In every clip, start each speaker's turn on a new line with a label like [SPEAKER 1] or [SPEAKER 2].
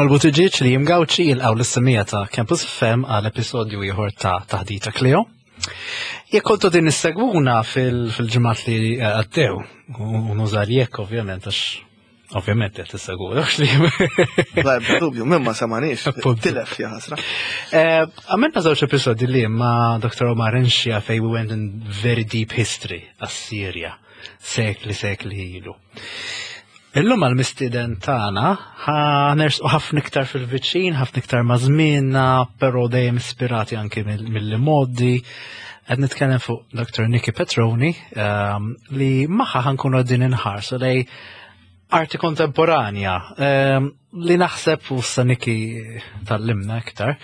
[SPEAKER 1] Emanuel Buttigieg li jimgawċi jilqaw l-issemija ta' Campus FM għal episodju ieħor ta' Taħdita Kleo. Jekk kontu din issegwuna fil-ġimgħat li eh, għaddew, u nużar jekk ovvjament għax ovvjament qed issegwuna għax li.
[SPEAKER 2] La ebda dubju, minn ma semaniex, tilef ja ħasra.
[SPEAKER 1] Eh, għamilna żewġ episodji li ma' Dr. Omar Inxia fej we went in very deep history għas-Sirja, sekli sekli ilu. Illum għal-mistieden tagħna ħa nersqu ħafna iktar fil-viċin, ħafna iktar ma' żmienna, però dejjem ispirati anki mill-modi. Qed nitkellem fuq Dr. Nikki Petroni ehm, li magħha ħankunu qegħdin inħarsu lej arti kontemporanja ehm, li naħseb u sa Nikki tallimna iktar.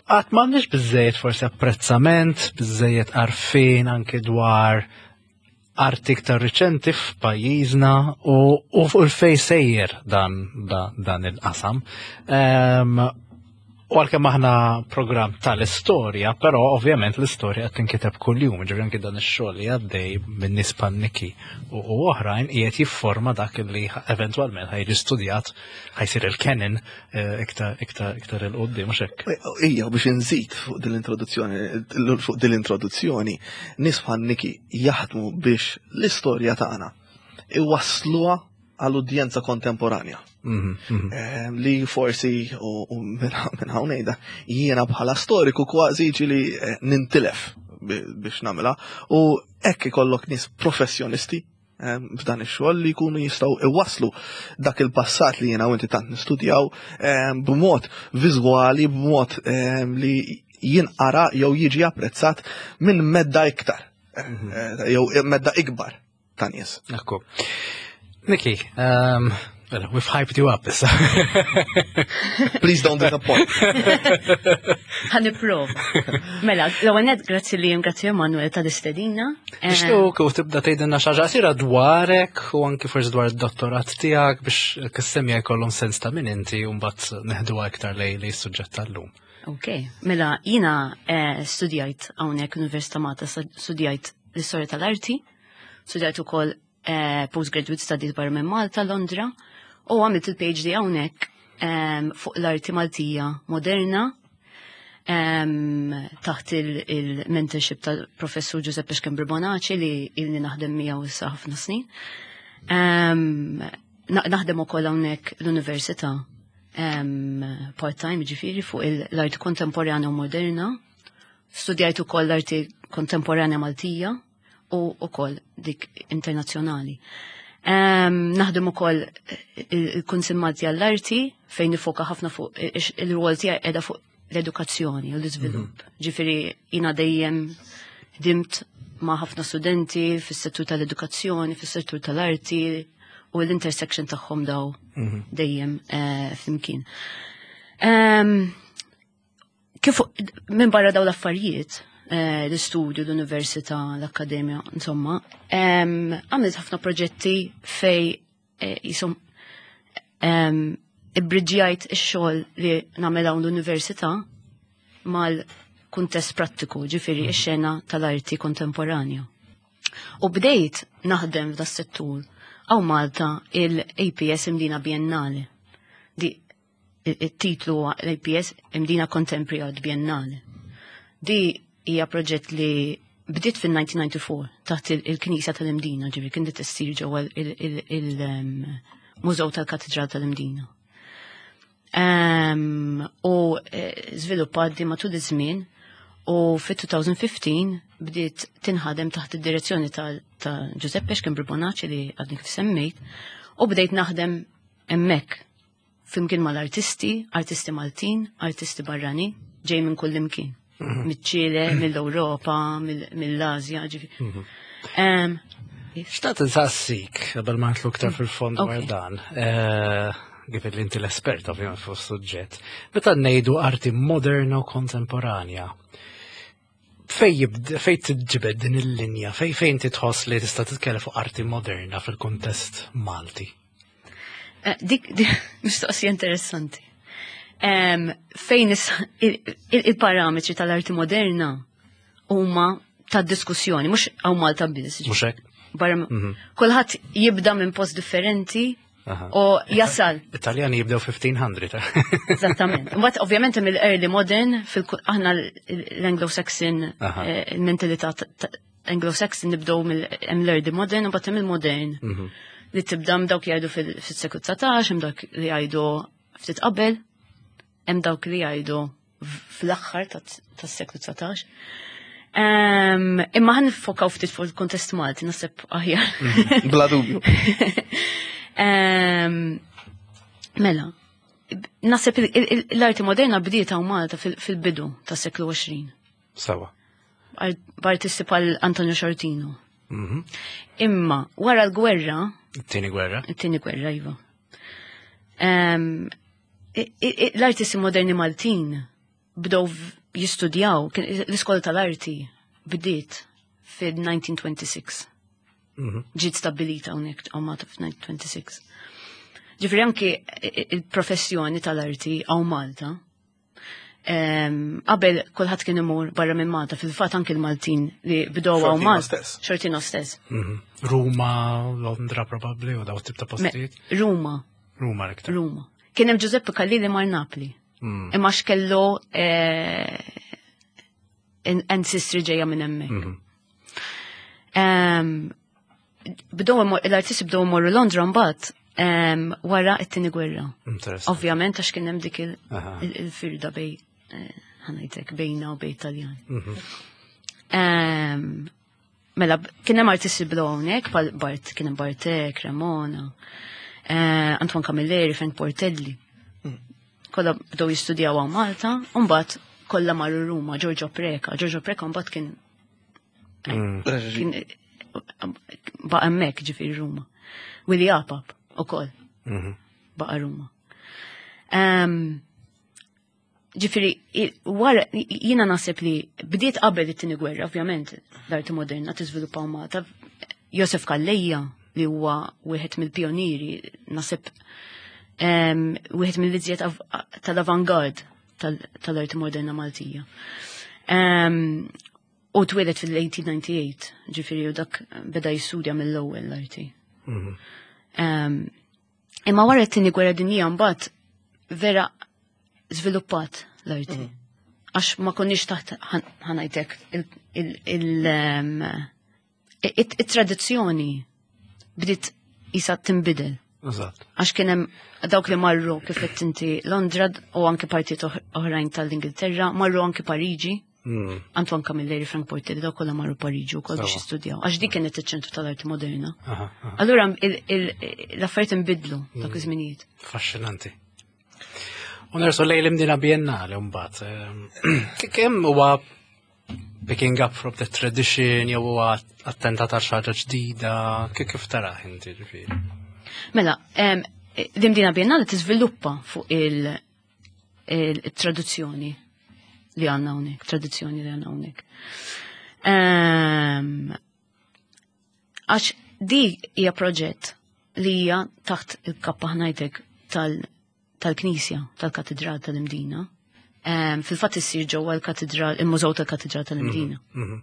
[SPEAKER 1] Għat m'għandniex biżejjed forsi apprezzament, biżejjed għarfien anki dwar arti iktar riċenti f'pajjiżna u, u fuq il-fej sejjer dan, dan, dan il-qasam. Um, u għalkemm aħna programm tal-istorja, però ovvjament l-istorja qed tinkiteb kuljum, ġifieri anki dan ix-xogħol li għaddej minn nies panniki u, u oħrajn qiegħed jifforma dak li eventwalment ħajġi studjat ħajsir il-canon eh, iktar iktar iktar il qudiem mhux hekk.
[SPEAKER 2] Ija biex inżid fuq din l-introduzzjoni, fuq din l-introduzzjoni, nies bħal Niki jaħdmu biex l-istorja tagħna iwassluha għal udjenza kontemporanja. Mhm, mhm. Eh, li forsi u minn hawn ngħidha jiena bħala storiku kważi ġili eh, nintilef biex nagħmilha u hekk ikollok nies professjonisti eh, f'dan ix-xogħol li jkunu jistgħu iwasslu dak il-passat li jiena u inti tant nistudjaw b'mod viżwali, b'mod li jinqara jew jiġi apprezzat minn medda iktar, mhm. eh, jew medda ikbar ta' nies.
[SPEAKER 1] Ekku. Niki, um, well, we've hyped you up issa.
[SPEAKER 2] Please don't disappoint.
[SPEAKER 3] Ħaniprova. Mela, l-ewwel grazzi li grazzi Emanuel ta' istedina.
[SPEAKER 1] Eh, Nixtiequ u tibda tgħidilna xi ħaġa qasira dwarek u anki forsi dwar id-dottorat tiegħek biex kissemmija jkollhom sens ta' min inti u mbagħad neħduha iktar lej li s-suġġett tal-lum.
[SPEAKER 3] Ok, mela jina eh, studjajt hawnhekk Università Malta, studjajt l-istorja tal-arti, studjajt ukoll eh, postgraduate studies barra minn Malta, Londra, u għamilt il-PhD hawnhekk ehm, fuq l-arti Maltija moderna ehm, taħt il-mentorship tal-professur Giuseppe Schembri Bonaci li ilni naħdem miegħu issa ħafna snin. Ehm, naħdem ukoll hawnhekk l-università part-time ġifiri fuq l-arti kontemporanja u moderna. Studjajt ukoll l-arti kontemporanja Maltija u ukoll dik internazzjonali. Naħdem ukoll il-Kunsill Malti għall-Arti fejn nifoka ħafna fuq il-rwol tiegħi qiegħda fuq l-edukazzjoni u l-iżvilupp. Mhm. Ġifieri jiena dejjem dimt ma' ħafna studenti fis-settur tal-edukazzjoni, fis-settur tal-arti u l-intersection tagħhom daw mhm. dejjem eh, flimkien. Ehm, kif minn barra daw l-affarijiet, eh, l-istudju, l-università, l-akkademja, insomma, ehm, għamilt ħafna proġetti fej eh, jisom ehm, ibbriġjajt ix-xogħol li nagħmel hawn l-università mal-kuntest prattiku, ġifieri mhm. ix-xena tal-arti kontemporanja. U bdejt naħdem f'da settur għaw Malta il-APS Imdina Biennale. Di it-titlu l-APS Imdina Contemporary Art Biennale. Di hija proġett li bdiet fin-1994 taħt il-Knisja tal-Imdina, ġifieri kien dit issir ġewwa il-Mużew tal-Katedral tal-Imdina. U eh, żviluppat di matul iż-żmien u fit-2015 bdiet tinħadem taħt id-direzzjoni ta' Giuseppe Schembri Bonacci li għadni kif semmejt u bdejt naħdem hemmhekk flimkien mal-artisti, artisti Maltin, artisti barrani, ġej minn kull imkien. Mhm. Miċ-Ċile, mill-Ewropa, mill-Asja, ġifi.
[SPEAKER 1] Mhm. Xtaqt nsassik, qabel ma nitlu iktar fil-fond dwar dan, eh, given li inti l-espert ovvjament fuq suġġett, meta ngħidu arti moderna u kontemporanja, fej fej tiġbed din il-linja, fej fejn titħoss li tista' titkellem fuq arti moderna fil-kuntest Malti?
[SPEAKER 3] Eh, dik mistoqsija interessanti. Fejn il-parametri tal-arti moderna huma ta' diskussjoni, mhux hawn Malta biss.
[SPEAKER 1] Mhux hekk.
[SPEAKER 3] Barra mhm. kulħadd jibda minn post differenti. U jasal.
[SPEAKER 1] Italjani jibdew 1500.
[SPEAKER 3] Eżattament. Mbagħad ovvjament hemm il-early modern aħna l-Anglo-Saxon eh, il-mentalità Anglo-Saxon nibdew mill early modern u mbagħad hemm il-modern. Mhm. Li tibda dawk jgħidu fis-seklu 19, hemm dawk li jgħidu ftit qabel, hemm dawk li jgħidu fl-aħħar tas-seklu 19. Imma ħan nifokaw ftit fuq il-kontest Malti, naħseb aħjar.
[SPEAKER 2] Mhm. Bla dubju.
[SPEAKER 3] Mela, naħseb l-arti moderna bdiet hawn Malta fil-bidu tas-seklu 20.
[SPEAKER 1] Sawa.
[SPEAKER 3] B'artisti bħal Antonio Sciortino. Mhm. Imma wara l-gwerra.
[SPEAKER 1] It-tieni gwerra.
[SPEAKER 3] It-tieni gwerra, iva. L-artisti moderni Maltin bdew jistudjaw, l-iskola tal-arti bdiet fid-1926. Mhm. Ġiet stabbilita hawnhekk hawn Malta f'1926. Ġifieri anki il-professjoni tal-arti hawn Malta Qabel kulħadd kien imur barra minn Malta, fil-fatt anki l-Maltin li bdew hawn Malta. Xortino stess.
[SPEAKER 1] Mhm. Ruma, Londra probabbli u daw tip ta' postijiet.
[SPEAKER 3] Ruma.
[SPEAKER 1] Ruma l-iktar.
[SPEAKER 3] Ruma. Kien hemm Giuseppe Callili mar Napli. Mm. Imma x'kellu eh, ancestry ġejja minn hemmhekk. Mhm. Bdew l-artisti bdew imorru Londra mbagħad wara t-tieni gwerra. Ovvjament għax kien hemm dik il-firda bej eh, ħanajtek bejna u bej Taljan. Mhm. Mela, kien hemm artisti bdew hawnhekk bħal Bart, kien hemm Bartek, Cremona, eh, Antoine Camilleri, Frank Portelli. Mm. Kollha bdew jistudjaw hawn Malta, u mbagħad kollha marru Ruma, Giorgio Preca. Giorgio Preca mbagħad kien mm. kien baqa' hemmhekk ġifieri Ruma. Willi Apap ukoll mhm. baqa' Ruma. Ġifieri, wara jiena naħseb li bdiet qabel it-tieni gwerra, ovvjament, l-arti moderna tiżviluppaw Malta. Josef Calleja li huwa wieħed mill-pioniri, naħseb wieħed mill-iżjed tal-avangard tal-arti moderna Maltija. U twieled fil-1898, ġifieri u dak beda jistudja mill-ewwel l-arti. Mhm. Imma wara t-tieni gwerra dinjija mbagħad vera żviluppat l-arti. Mhm. Għax ma konniex taħt ħanajtek il-tradizzjoni bdiet isa tinbidel. Għax kien hemm dawk li marru kif qed inti Londra u anke partijiet oħrajn tal-Ingilterra, marru anke Pariġi. Mm. Antoine Camilleri, Frank Portelli, dawk kollha marru Pariġi wkoll biex jistudjaw. Għax dik kienet iċ-ċentru tal-arti moderna. Allura l-affarijiet inbidlu dak mm. iż-żminijiet.
[SPEAKER 1] Affaxxinanti. U nersu lejn l-Imdina Biennale mbagħad. Ehm, kemm huwa picking up from the tradition jew huwa attentat għal xi ħaġa ġdida, kif taraħ inti ġifieri?
[SPEAKER 3] Mela, ehm, l-Imdina Biennale tiżviluppa fuq il-traduzzjoni li għandna hawnhekk, tradizzjoni li għandna hawnhekk. Ehm, għax di hija proġett li hija taħt il-kappa ħnajtek tal-Knisja, tal-Katedral tal-Imdina. Ehm, fil-fatt issir ġewwa l-Katedral, il-Mużew tal-Katedral tal-Imdina. Mhm, mhm.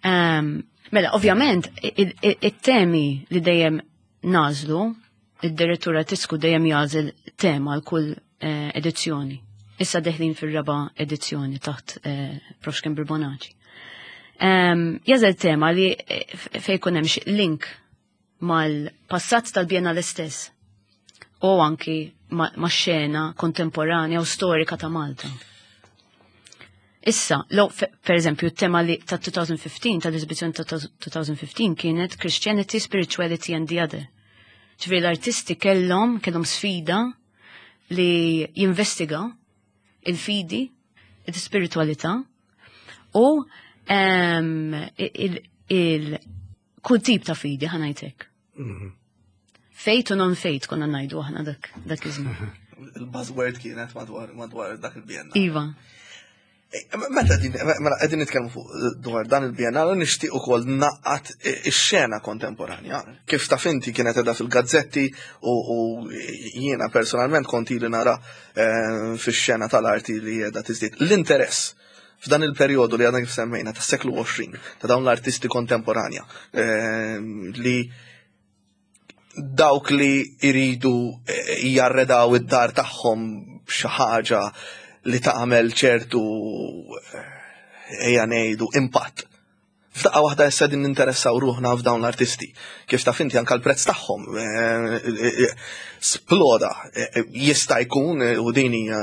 [SPEAKER 3] Ehm, mela, ovvjament, it-temi li dejjem nażlu, id-direttur artistiku dejjem jażel tema għal kull eh, edizzjoni. Issa deħlin fir-raba edizzjoni taħt eh, Prof. Kember Bonaci. Ehm, jażel tema li eh, fejn ikun hemm link mal-passat tal-Biennale stess u anki ma' xena kontemporanja u storika ta' Malta. Issa, lo, per eżempju, tema li ta' 2015, tal-eżibizzjoni ta' 2015 kienet Christianity, Spirituality and the Other. Ġifieri l-artisti kellhom kellhom sfida li jinvestiga il-fidi, il-spiritualità u ehm, il kull tip ta' fidi ħanajtek. Mhm. Fejt u non fejt konna najdu aħna dak dak iż-żmien.
[SPEAKER 2] Il-buzzword kienet madwar madwar dak il-bienna.
[SPEAKER 3] Iva.
[SPEAKER 2] E, meta din mela qegħdin nitkellmu fuq eh, dwar dan il-biennale nixtieq ukoll naqqat eh, ix-xena kontemporanja. Kif taf inti kienet qiegħda fil-gazzetti u jiena personalment kont ili nara eh, fix-xena tal-arti li qiegħda tiżdied. L-interess f'dan il-perjodu li għadna kif semmejna tas-seklu 20 ta' dawn l-artisti kontemporanja li Dawk li jridu jarredaw id-dar tagħhom b'xi ħaġa li tagħmel ċertu ejja ngħidu impatt. F'daqqa waħda issa din ninteressaw ruħna f'dawn l-artisti. Kif taf inti anke l-prezz tagħhom sploda. Jista' jkun u din hija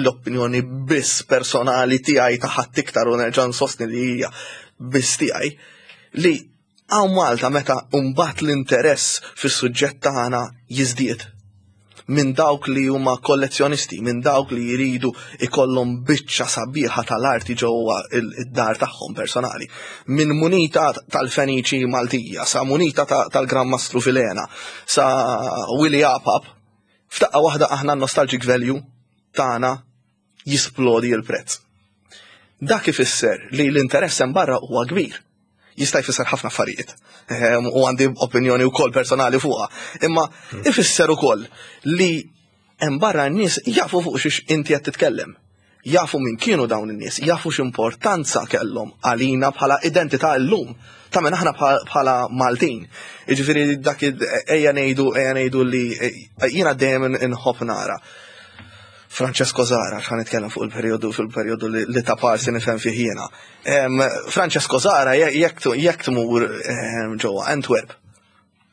[SPEAKER 2] l-opinjoni biss personali tiegħi ta' ħadd iktar u nerġa' nsostni li hija biss tiegħi li Hawn Malta meta mbagħad l-interess fis-suġġett tagħna jiżdied minn dawk li huma kollezzjonisti, minn dawk li jridu ikollhom biċċa sabiħa tal-arti ġewwa id-dar tagħhom personali. Minn munita tal-Feniċi Maltija, sa munita tal-Gran Mastru Filena, sa Willy Apap, f'daqqa waħda aħna nostalgic value tagħna jisplodi l-prezz. Dak ifisser li l-interess hemm barra huwa kbir. Jista' jfisser ħafna affarijiet u għandi opinjoni wkoll personali fuqha. Imma ifisser ukoll li hemm barra n-nies jafu fuq xiex inti qed titkellem. Jafu min kienu dawn in-nies, jafu x'importanza kellhom għalina bħala identità llum ta' minn aħna bħala Maltin. Jiġifieri dak ejja ngħidu ejja ngħidu li jiena dejjem inħobb nara. Francesco Zara, xan nitkellem fuq il-periodu fil-periodu li ta' parsi nifhem fih jiena. Francesco Zara jekk tmur ġewwa Antwerp.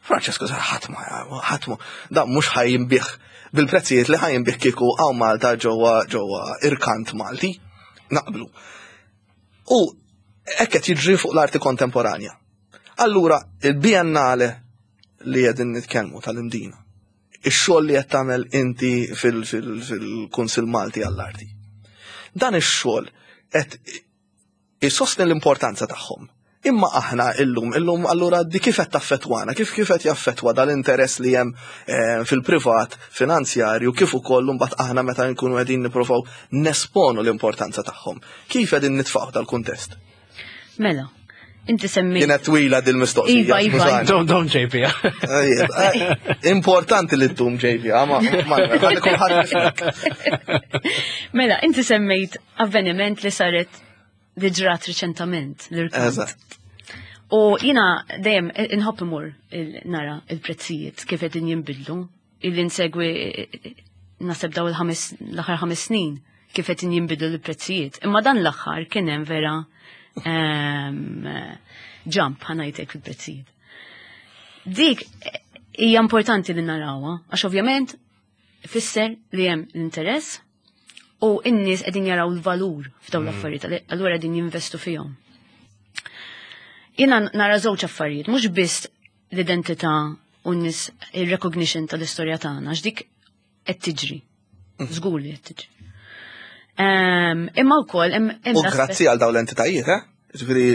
[SPEAKER 2] Francesco Zara ħadd ma ħadd da mhux ħajjinbih bil-prezzijiet li ħajjinbih kieku hawn Malta ġewwa ġewwa irkant Malti. Naqblu. U hekk qed jiġri fuq l-arti kontemporanja. Allura il-Biennale li qegħdin nitkellmu tal-Imdina ix-xogħol li qed tagħmel inti fil-Kunsill Malti għall-Arti. Dan ix-xogħol qed isostni l-importanza tagħhom. Imma aħna illum, illum allura di kif qed taffettwana, kif kif qed jaffettwa dal-interess li hemm eh, fil-privat finanzjarju kif ukoll imbagħad aħna meta nkunu qegħdin nippruvaw nesponu l-importanza tagħhom. Kif qegħdin nitfgħu dal-kuntest?
[SPEAKER 3] Mela, inti semmi.
[SPEAKER 2] Kienet twila dil-mistoqsija.
[SPEAKER 3] Iva, iva.
[SPEAKER 1] Don't, don't JP.
[SPEAKER 2] Eh, importanti li ddum JP, ah, ma
[SPEAKER 3] Mela, inti semmejt avveniment li saret li ġrat riċentament l-irkant. U jina dejjem inħobb imur nara il-prezzijiet kif qegħdin jinbidlu illi nsegwi naseb daw il-ħames l-aħħar ħames snin kif qed jinbidlu l-prezzijiet. Imma dan l-aħħar kien hemm vera ehm, jump ħanajtek fil-prezzijiet. Dik hija importanti li narawha, għax ovvjament fisser li hemm l-interess u n-nies qegħdin jaraw l-valur f'dawn mm. l-affarijiet, allura qegħdin jinvestu fihom. Jiena nara żewġ affarijiet, mhux biss l-identità u n-nies il-recognition tal-istorja tagħna, għax dik qed tiġri. Mm. Żgur li qed tiġri. Ehm, imma wkoll
[SPEAKER 2] U grazzi għal dawn l-entitajiet, eh? Ġifieri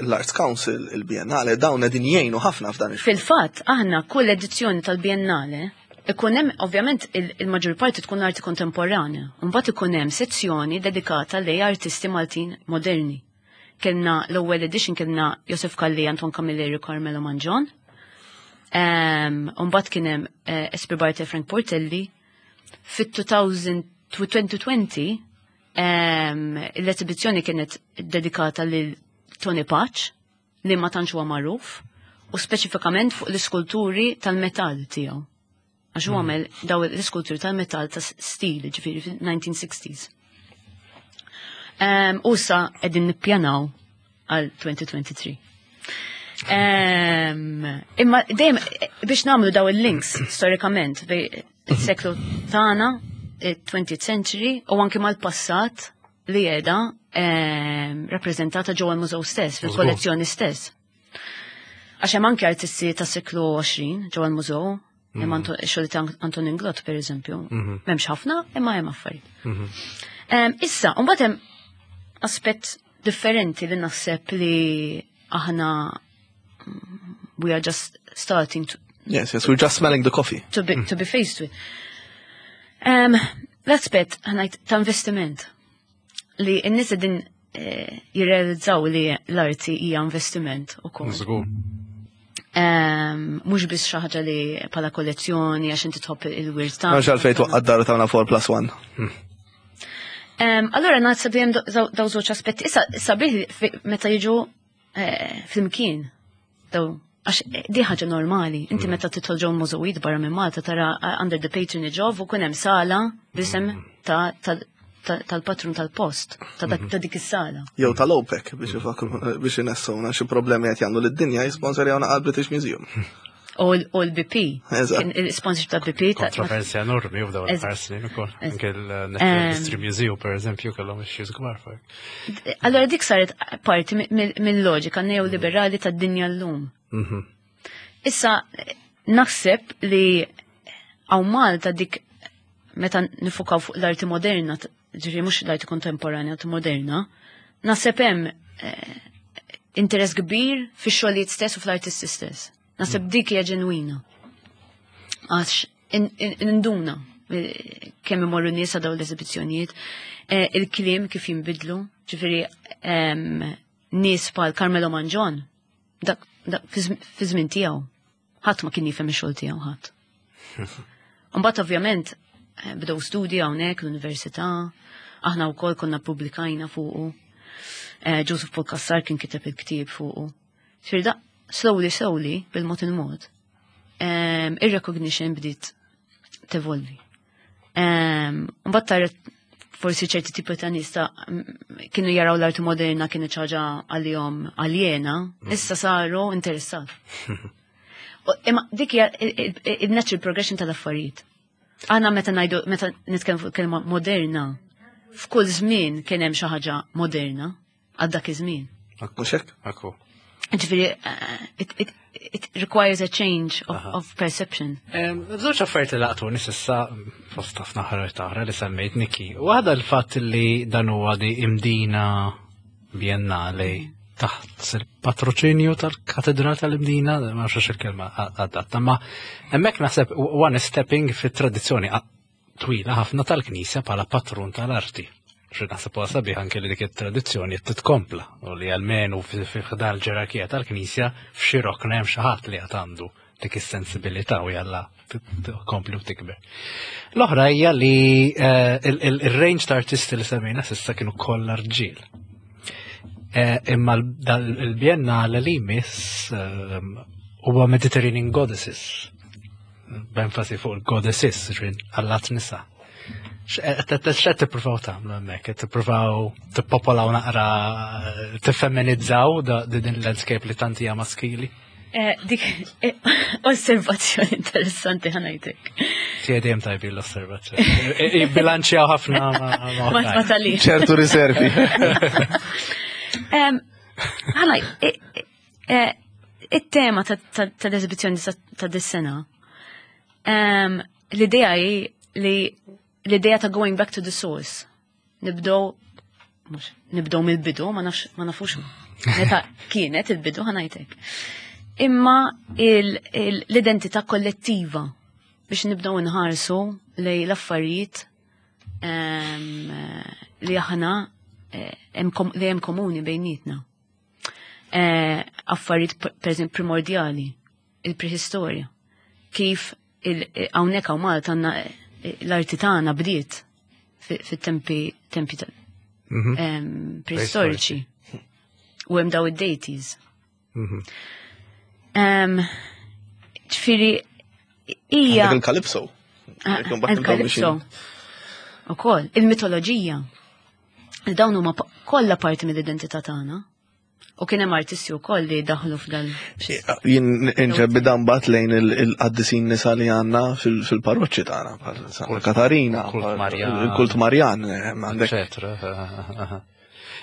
[SPEAKER 2] l-Arts Council, il-Biennale, dawn qegħdin jgħinu ħafna f'dan
[SPEAKER 3] ix Fil-fatt, aħna kull edizzjoni tal-Biennale ikun hemm ovvjament il-maġġor parti tkun arti kontemporanja, mbagħad ikun hemm sezzjoni dedikata lej artisti Maltin moderni. Kellna l-ewwel edition kellna Josef Kalli, Anton Camilleri, Carmelo Manġon. Mbagħad kien hemm eh, Espri Barte Frank Portelli. Fit-2020 l-esibizzjoni kienet dedikata lil Tony Paċ li ma tantx huwa magħruf u speċifikament fuq l-iskulturi tal-metall tiegħu. Għax hu għamel daw l-iskulturi tal-metall ta' stil, ġifieri fil-1960s. U sa qegħdin nippjanaw għal 2023. Imma dejjem biex nagħmlu daw il-links storikament bej il-seklu tagħna, il-20th century u anke mal-passat li qiegħda rappreżentata ġewwa l-mużew stess, fil-kollezzjoni stess. Għax hemm anke artisti tas seklu 20 ġewwa l-mużew, hemm xogħol ta' Antonin Glott pereżempju. Mhm. M'hemmx ħafna, imma hemm affarijiet. Mhm. Issa, mbagħad hemm aspett differenti li naħseb li aħna we are just starting to
[SPEAKER 2] Yes, we're just smelling the coffee.
[SPEAKER 3] To be faced with. L-aspett ħanajt ta' investiment li n-nies din eh, jirrealizzaw li l-arti hija investiment ukoll.
[SPEAKER 1] Żgur.
[SPEAKER 3] Mhux biss xi ħaġa li bħala kollezzjoni għax inti tħobb il-wirt ta'
[SPEAKER 2] Għax għalfejn twaqqa' d-dar tagħna 4 plus 1.
[SPEAKER 3] Allora naħseb li hemm daw żewġ aspetti. Issa sabiħ meta jiġu eh, flimkien daw. Għax di ħaġa normali, inti meta tidħol ġew mużewijiet barra minn Malta tara under the patronage of u kun hemm sala b'isem tal-patrun tal-post, ta' dik is-sala.
[SPEAKER 2] Jew tal-OPEC biex ifakru biex inessuna xi problemi qed jagħmlu lid-dinja jisponsorjawna għal British Museum.
[SPEAKER 3] U l-BP. Il-sponsorship ta' BP.
[SPEAKER 1] Kontroversja enormi u dawn l-aħħar snin ukoll. Anke l-Natural History Museum, per eżempju, kellhom issues kbar fuq.
[SPEAKER 3] Allora dik saret parti mill-loġika neoliberali tad-dinja llum. Issa naħseb li hawn Malta dik meta nifukaw fuq l-arti moderna, ġifieri mhux l-arti kontemporanja, arti moderna, naħseb hemm interess kbir fix-xogħlijiet stess u fl-artisti stess. Naħseb dik hija ġenwina. Għax induna kemm imorru nies dawn l-eżibizzjonijiet, il-kliem kif jinbidlu, ġifieri nies bħal Carmelo Mangion, dak fi żmien tiegħu, ħadd ma kien jifhem ix-xogħol tiegħu ħadd. Mbagħad ovvjament bdew studji hawnhekk l-università, aħna wkoll konna pubblikajna fuqu. Joseph Paul Cassar kien kiteb il-ktieb fuqu. Ġifieri da slowly slowly bil-mod il-mod, ir-recognition bdiet tevolvi. Mbagħad tara forsi ċerti tipi ta' nies ta' kienu jaraw l-arti moderna kienet xi ħaġa għalihom aljena, issa saru interessat. Imma dik hija il-natural progression tal-affarijiet. Aħna meta ngħidu, meta nitkellmu fuq kelma moderna, f'kull żmien kien hemm xi ħaġa moderna għal dak iż-żmien.
[SPEAKER 2] Mhux hekk?
[SPEAKER 1] Akku.
[SPEAKER 3] Ġifieri, it requires a change of perception.
[SPEAKER 1] Żewġ affarijiet li laqtuni s'issa fost ħafna ħaġa oħra li semmejt Niki. Waħda l-fatt li dan huwa di Imdina Biennale taħt il-patroċinju tal-Katedral tal-Imdina, ma nafx il-kelma adatta, ma hemmhekk naħseb one stepping fit-tradizzjoni twila ħafna tal-Knisja bħala patrun tal-arti. Xi naħseb huwa sabiħ anke li dik it-tradizzjoni qed titkompla u li almenu fi ħdan l-ġerarkija tal-Knisja f'xi rokna hemm xi ħadd li qed għandu dik is-sensibilità u jalla tkompli u tikber. L-oħra hija li il-range ta' artisti li semmejna s'issa kienu kollha rġiel. Imma il-Biennale li jmiss huwa Mediterranean Goddesses, b'enfasi fuq il-goddesses, ġifieri allat nisa. X'qed tippruvaw tagħmlu hemmhekk? Qed tippruvaw tippopolaw naqra, tiffemminizzaw din il-landscape li tant hija maskili?
[SPEAKER 3] Dik osservazzjoni interessanti ħa ngħidlek.
[SPEAKER 1] Tiegħi dejjem tajbi l-osservazzjoni. Bilanċjaw ħafna ma'
[SPEAKER 3] Ma tali.
[SPEAKER 2] ċertu riservi.
[SPEAKER 3] Ħanaj, it-tema tal-eżibizzjoni ta' dis-sena, l-idea hi li l-idea ta' going back to the source. Nibdow, mhux, nibdow mill-bidu, ma nafx, ma nafux meta kienet il-bidu ħa ngħidlek. Imma l-identità kollettiva biex nibdew nħarsu lej l-affarijiet li aħna li hemm komuni bejnietna. Affarijiet per eżempju primordjali, il-prehistorja. Kif hawnhekk hawn Malta għandna l-arti tagħna bdiet fit-tempi tempi prehistoriċi. U hemm daw id-deities. Ġifieri hija
[SPEAKER 2] Għandek il-Calypso.
[SPEAKER 3] Il-Calypso. Ukoll, il-mitoloġija. Dawn huma kollha parti mill-identità tagħna. U kien hemm artisti wkoll li daħlu f'dan.
[SPEAKER 2] Jien inġebbi dan bat lejn il-qaddisin nisa li għandna fil-parroċċi tagħna, bħal Santa Katarina,
[SPEAKER 1] Kult Marjan.
[SPEAKER 2] il-kult Marjan, għandek.
[SPEAKER 1] Eccetera.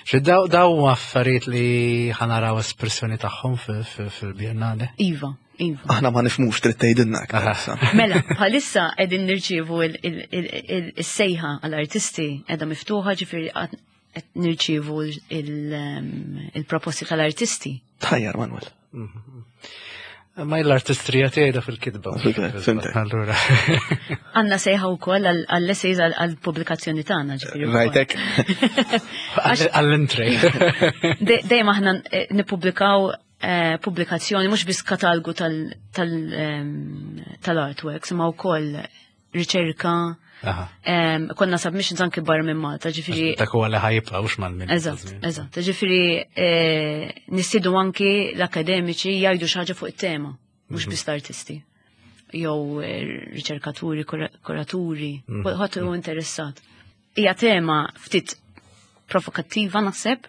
[SPEAKER 1] Xi daw affarijiet li ħa naraw espressjoni tagħhom fil-Biennale?
[SPEAKER 3] Iva, iva.
[SPEAKER 2] Aħna ma nifhmux trid tgħidilna aktar issa.
[SPEAKER 3] Mela, bħalissa qegħdin nirċievu il-sejħa għall-artisti qiegħda miftuħa, ġifieri qed nirċievu il-proposti tal-artisti.
[SPEAKER 2] Tajjar, Manuel.
[SPEAKER 1] Ma l-artistrija tiegħi fil-kitba.
[SPEAKER 2] Fil-kitba, fimtek.
[SPEAKER 1] Allura.
[SPEAKER 3] Għandna sejħa wkoll għall-essays għall-pubblikazzjoni tagħna, ġifieri wkoll.
[SPEAKER 2] Rajtek.
[SPEAKER 1] Għall-entry.
[SPEAKER 3] Dejjem aħna nippubblikaw pubblikazzjoni mhux biss katalgu tal-artworks, imma wkoll riċerka. Konna submissions anki barra minn Malta, ġifieri.
[SPEAKER 1] Dak huwa li ħajibqa' mhux mal-minn.
[SPEAKER 3] Eżatt, eżatt. Ġifieri eh, nistidu anki l-akademiċi jgħidu xi ħaġa fuq it-tema, mhux mhm. biss l-artisti. Jew eh, riċerkaturi, kuraturi, mhm. ħadd hu interessat. Hija tema ftit provokattiva naħseb,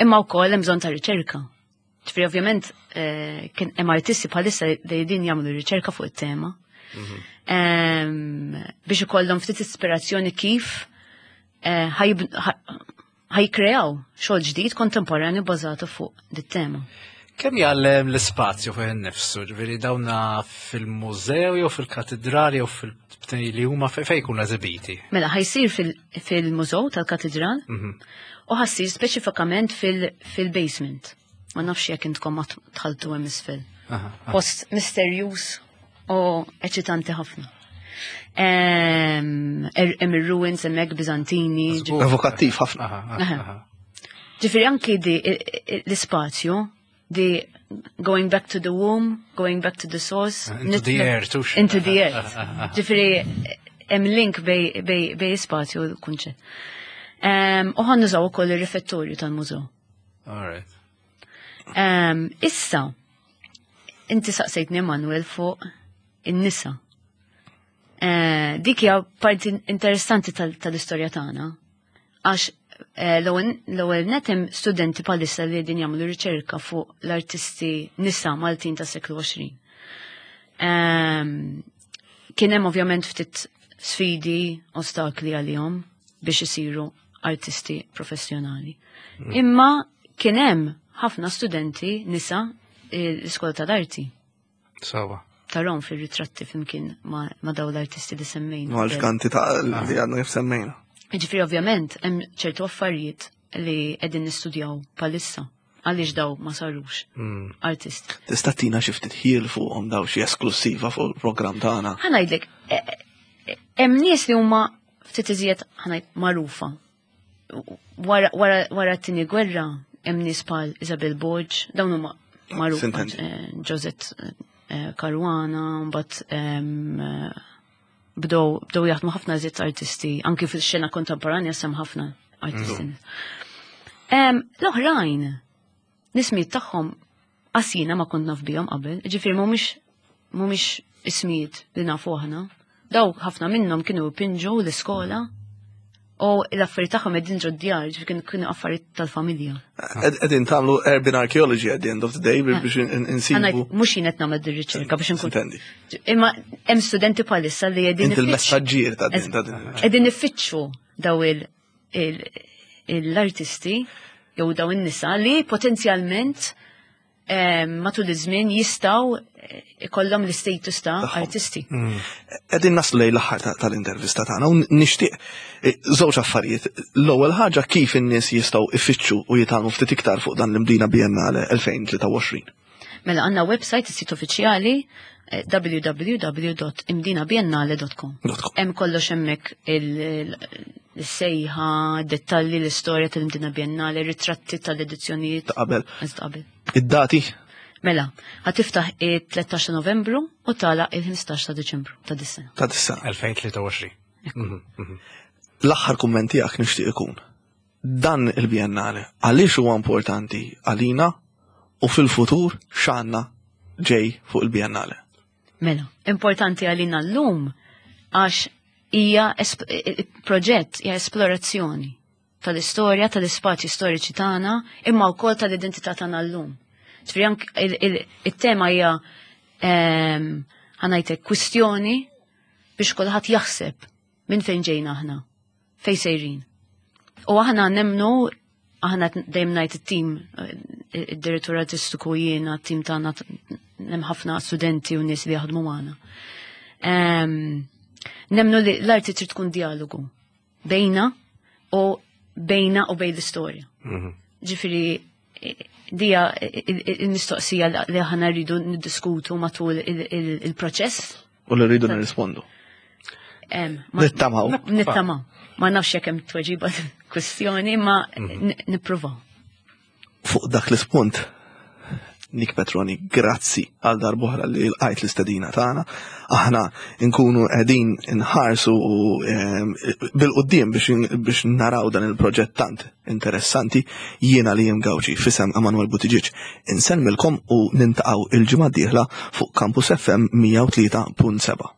[SPEAKER 3] imma wkoll hemm bżonn ta' riċerka. Ġifieri ovvjament eh, kien hemm artisti bħalissa li din jagħmlu riċerka fuq it-tema. Mhm. Biex ikollhom ftit ispirazzjoni kif eh, ħajkreaw xogħol ġdid kontemporanju bażatu fuq dit-tema.
[SPEAKER 1] Kemm jgħallem l-ispazju fih innifsu, ġifieri dawna fil-mużew jew fil-katedrali jew fil li huma fejn jkunu eżibiti?
[SPEAKER 3] Mela ħajsir fil-mużew tal-katedral mhm. u ħassir speċifikament fil-basement. Ma nafx jekk intkom ma tħaltu hemm isfel. Post misterjuż u eċitanti ħafna. Er, hemm ir-ruins hemmhekk Biżantini.
[SPEAKER 2] Evokattiv ħafna.
[SPEAKER 3] Ġifieri anki di l-ispazju di going back to the womb, going back to the source.
[SPEAKER 1] Into the earth.
[SPEAKER 3] Into the earth. Ġifieri hemm link bej, bej, bej spazju u l-kunċett. U ħan nużaw ukoll ir-rifettorju tal-mużew.
[SPEAKER 1] All right.
[SPEAKER 3] Issa, inti saqsejtni Emanuel fuq in-nisa. Eh, dik hija parti interessanti tal-istorja tagħna. Għax eh, l-ewwel net hemm studenti bħalissa li qegħdin jagħmlu riċerka fuq l-artisti nisa Maltin tas-seklu 20. Ehm, kien hemm ovvjament ftit sfidi, ostakli għalihom biex isiru artisti professjonali. Mm. Imma kien hemm ħafna studenti nisa l-iskola tal-arti.
[SPEAKER 1] Sawa.
[SPEAKER 3] Tarom fil-ritratti flimkien ma, ma daw l-artisti li semmejna.
[SPEAKER 2] Ma l-kanti ta' li għadna kif semmejna.
[SPEAKER 3] Ġifri ovvjament hemm ċertu affarijiet li qegħdin nistudjaw palissa għaliex daw ma sarux mm. artist.
[SPEAKER 2] Tista' tina xi ftit ħiel fuqhom daw xi esklusiva fuq il-programm tagħna.
[SPEAKER 3] Ħa ngħidlek, e, e, hemm nies li huma ftit iżjed ħa ngħid magħrufa Wara t-tieni gwerra hemm nies bħal Isabel Borg, dawn huma magħrufa eh, Josette eh, Caruana, mbagħad eh, bdew bdew jaħdmu ħafna żied artisti, anki fil-xena kontemporanja sem ħafna artisti. Mm. L-oħrajn, nismijiet tagħhom qasina ma kont naf bihom qabel, ġifieri mhumiex mhumiex ismijiet li nafu aħna. Daw ħafna minnhom kienu jpinġu l-iskola u l-affarijiet tagħhom qegħdin ġod djar, ġifieri kienu affarijiet tal-familja.
[SPEAKER 2] Qegħdin tagħmlu urban archaeology at the end of the day biex ah. insibu.
[SPEAKER 3] Mhux jien qed nagħmel dir-riċerka biex inkun. Imma hemm studenti bħalissa li qegħdin.
[SPEAKER 2] Inti l-messaġġier ta' din ta' din.
[SPEAKER 3] Qegħdin ifittxu daw l-artisti jew daw in-nisa li potenzjalment matul iż-żmien jistgħu eh, ikollhom l-istatus ta' artisti. Mm.
[SPEAKER 2] Qegħdin naslu lejn l-aħħar tal-intervista tagħna u nixtieq eh, żewġ affarijiet. L-ewwel ħaġa kif in-nies jistgħu ifittxu u jitgħallmu ftit iktar fuq dan l-Imdina Biennale 2023.
[SPEAKER 3] Mela għandna website is-sit uffiċjali eh, www.imdinabiennale.com. Hemm kollox hemmhekk il-sejħa, dettalji l-istorja tal-Imdina Biennale, ritratti tal-edizzjonijiet.
[SPEAKER 2] Ta' qabel. Qabel. Id-dati?
[SPEAKER 3] Mela, ħatiftaħ il-13 Novembru u tala il-15 ta' Deċembru ta' dis-sena.
[SPEAKER 2] Ta' dis-sena.
[SPEAKER 1] 2023. Mhm,
[SPEAKER 2] mhm. L-aħħar kumment tiegħek nixtieq ikun. Dan il-Biennale għaliex huwa importanti għalina u fil-futur x'għandna ġej fuq il-Biennale?
[SPEAKER 3] Mela, importanti għalina llum għax hija proġett, hija esplorazzjoni tal-istorja, tal-ispazji storiċi tagħna, imma wkoll tal-identità tagħna llum. Ġifieri anke il-tema hija ehm, ħanajtek kwistjoni biex kulħadd jaħseb minn fejn ġejna aħna, fejn sejrin. U aħna nemnu aħna dejjem ngħid it-tim, id-direttur artistiku jiena, t-tim tagħna hemm ħafna studenti u nies li jaħdmu magħna. Ehm, nemnu li l-arti trid tkun dialogu bejna u bejna u bejn l-istorja. Mhm. Ġifieri dija il-mistoqsija li aħna rridu niddiskutu matul il-proċess.
[SPEAKER 2] U li rridu nirrispondu. Nittamaw.
[SPEAKER 3] Nittamaw. Ma nafx jekk hemm tweġiba kwestjoni, ma mhm. nippruvaw.
[SPEAKER 2] Fuq dak l-ispunt, Nick Petroni, grazzi għal darb'oħra li lqajt l-istedina tagħna. Aħna nkunu qegħdin nħarsu u bil-quddiem biex naraw dan il-proġett tant interessanti. Jiena li jem Gawċi fisem Emanuel Buttigieg insellmilkom u nintaqgħu il-ġimgħa d-dieħla fuq Campus FM 103.7.